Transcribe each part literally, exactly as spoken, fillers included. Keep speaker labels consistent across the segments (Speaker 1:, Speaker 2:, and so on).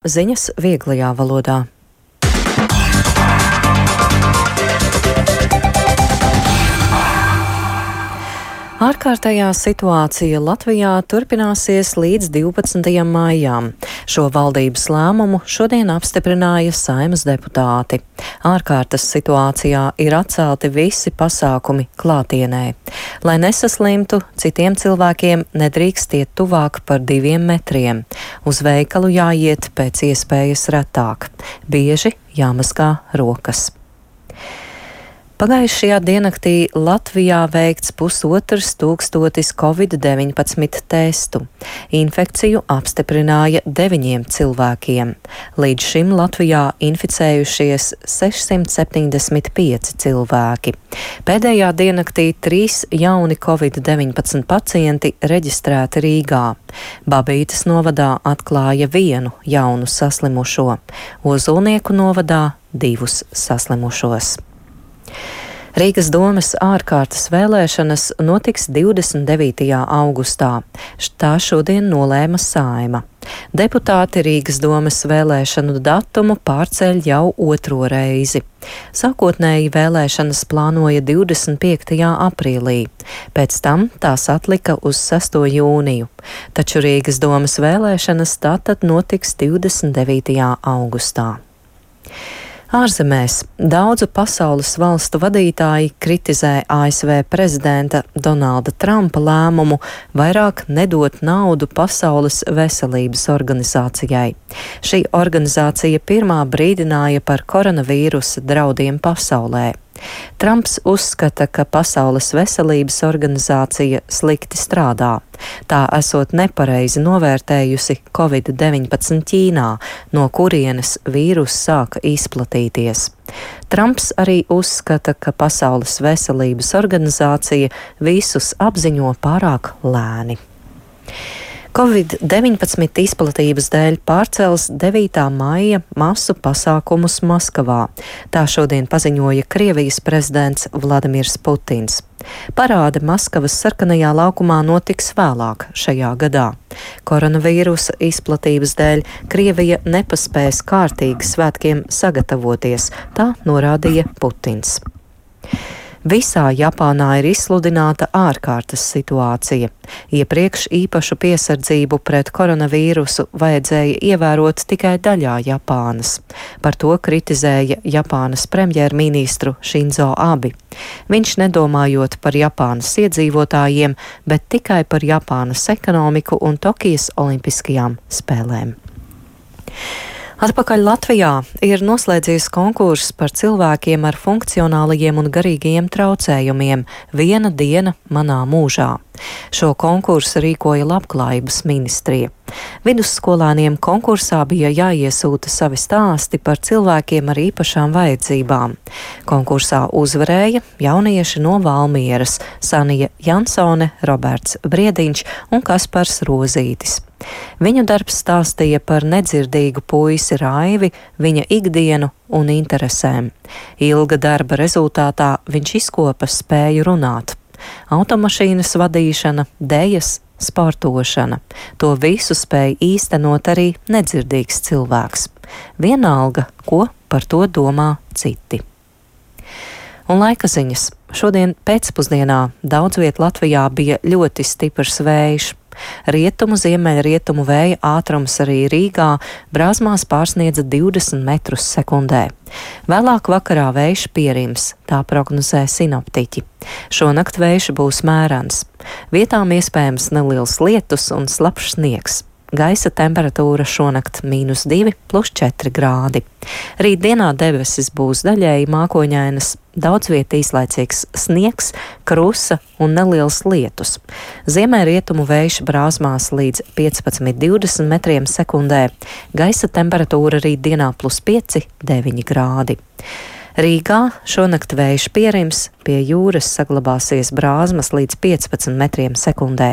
Speaker 1: Ziņas vieglajā valodā. Ārkārtējā situācija Latvijā turpināsies līdz divpadsmitajam maijam. Šo valdības lēmumu šodien apstiprināja Saeimas deputāti. Ārkārtas situācijā ir atcelti visi pasākumi klātienē. Lai nesaslimtu, citiem cilvēkiem nedrīkst iet tuvāk par diviem metriem. Uz veikalu jāiet pēc iespējas retāk. Bieži jāmazgā rokas. Pagājušajā diennaktī Latvijā veikts pusotrs tūkstotis covid deviņpadsmit testu. Infekciju apstiprināja deviņiem cilvēkiem. Līdz šim Latvijā inficējušies sešsimt septiņdesmit pieci cilvēki. Pēdējā diennaktī trīs jauni covid deviņpadsmit pacienti reģistrēti Rīgā. Babītes novadā atklāja vienu jaunu saslimušo. Ozolnieku novadā divus saslimušos. Rīgas domes ārkārtas vēlēšanas notiks divdesmit devītajā augustā. Tā šodien nolēma Saeima. Deputāti Rīgas domes vēlēšanu datumu pārceļ jau otro reizi. Sākotnēji vēlēšanas plānoja divdesmit piektajā aprīlī, pēc tam tās atlika uz sesto jūniju, taču Rīgas domes vēlēšanas tātad notiks divdesmit devītajā augustā. Ārzemēs daudzu pasaules valstu vadītāji kritizē A S V prezidenta Donalda Trumpa lēmumu vairāk nedot naudu Pasaules veselības organizācijai. Šī organizācija pirmā brīdināja par koronavīrusa draudiem pasaulē. Trumps uzskata, ka Pasaules veselības organizācija slikti strādā. Tā esot nepareizi novērtējusi covid deviņpadsmit Ķīnā, no kurienes vīrus sāka izplatīties. Trumps arī uzskata, ka Pasaules veselības organizācija visus apziņo pārāk lēni. covid deviņpadsmit izplatības dēļ pārcels devītā maija masu pasākumus Maskavā. Tā šodien paziņoja Krievijas prezidents Vladimirs Putins. Parāde Maskavas sarkanajā laukumā notiks vēlāk šajā gadā. Koronavīrusa izplatības dēļ Krievija nepaspēs kārtīgi svētkiem sagatavoties, tā norādīja Putins. Visā Japānā ir izsludināta ārkārtas situācija. Iepriekš īpašu piesardzību pret koronavīrusu vajadzēja ievērot tikai daļā Japānas. Par to kritizēja Japānas premjerministru Šinzo Abi. Viņš nedomājot par Japānas iedzīvotājiem, bet tikai par Japānas ekonomiku un Tokijas olimpiskajām spēlēm. Atpakaļ Latvijā ir noslēdzies konkurss par cilvēkiem ar funkcionālajiem un garīgajiem traucējumiem Viena diena manā mūžā. Šo konkursu rīkoja Labklājības ministrija. Vidusskolāniem konkursā bija jāiesūta savi stāsti par cilvēkiem ar īpašām vajadzībām. Konkursā uzvarēja jaunieši no Valmieras Sanija Jansone, Roberts Briediņš un Kaspars Rozītis. Viņu darbs stāstīja par nedzirdīgu puisi Raivi, viņa ikdienu un interesēm. Ilga darba rezultātā viņš izkopa spēju runāt. Automašīnas vadīšana, dejas, sportošana. To visu spēja īstenot arī nedzirdīgs cilvēks. Vienalga, ko par to domā citi. Un laika ziņas. Šodien pēcpusdienā daudz viet Latvijā bija ļoti stiprs vējš. Rietumu, ziemeļrietumu vēja ātrums arī Rīgā Brāzmās pārsniedza divdesmit metrus sekundē. Vēlāk vakarā vējš pierims, tā prognozē sinoptiķi. Šonakt vējš būs mērens. Vietām iespējams neliels lietus un slapjš sniegs. Gaisa temperatūra šonakt mīnus divi plus četri grādi. Rītdienā debesis būs daļēji mākoņainas, daudz viet īslaicīgs sniegs, krusa un neliels lietus. Ziemeļrietumu vējš Brāzmās līdz piecpadsmit divdesmit metriem sekundē. Gaisa temperatūra rītdienā plus pieci deviņi grādi. Rīgā šonakt vējš pierims, pie jūras saglabāsies brāzmas līdz piecpadsmit metriem sekundē.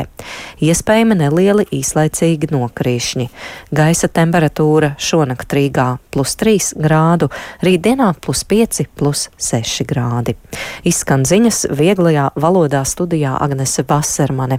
Speaker 1: Iespējami nelieli īslaicīgi nokrīšņi. Gaisa temperatūra šonakt Rīgā plus trīs grādu, rītdienā plus pieci plus seši grādi. Izskan ziņas vieglajā valodā studijā Agnese Vasermane.